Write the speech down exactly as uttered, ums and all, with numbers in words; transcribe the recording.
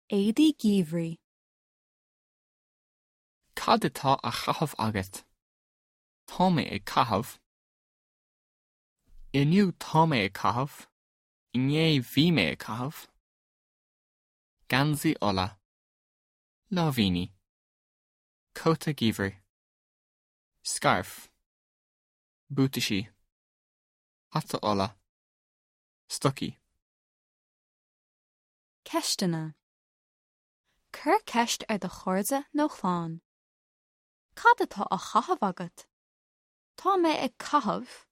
Éadaí geimhridh. Cad atá á chaitheamh agat? Tá mé ag caitheamh. Inniu tá mé ag caitheamh. Inné bhí mé ag caitheamh. Geansaí olla. Láimhíní. Cóta geimhridh. Scairf. Buataisí. Hata olla. Stocaí. Ceisteanna. Cuir ceist ar do chairde nó chlann. Cad atá á chaitheamh agat? Tá mé ag caitheamh.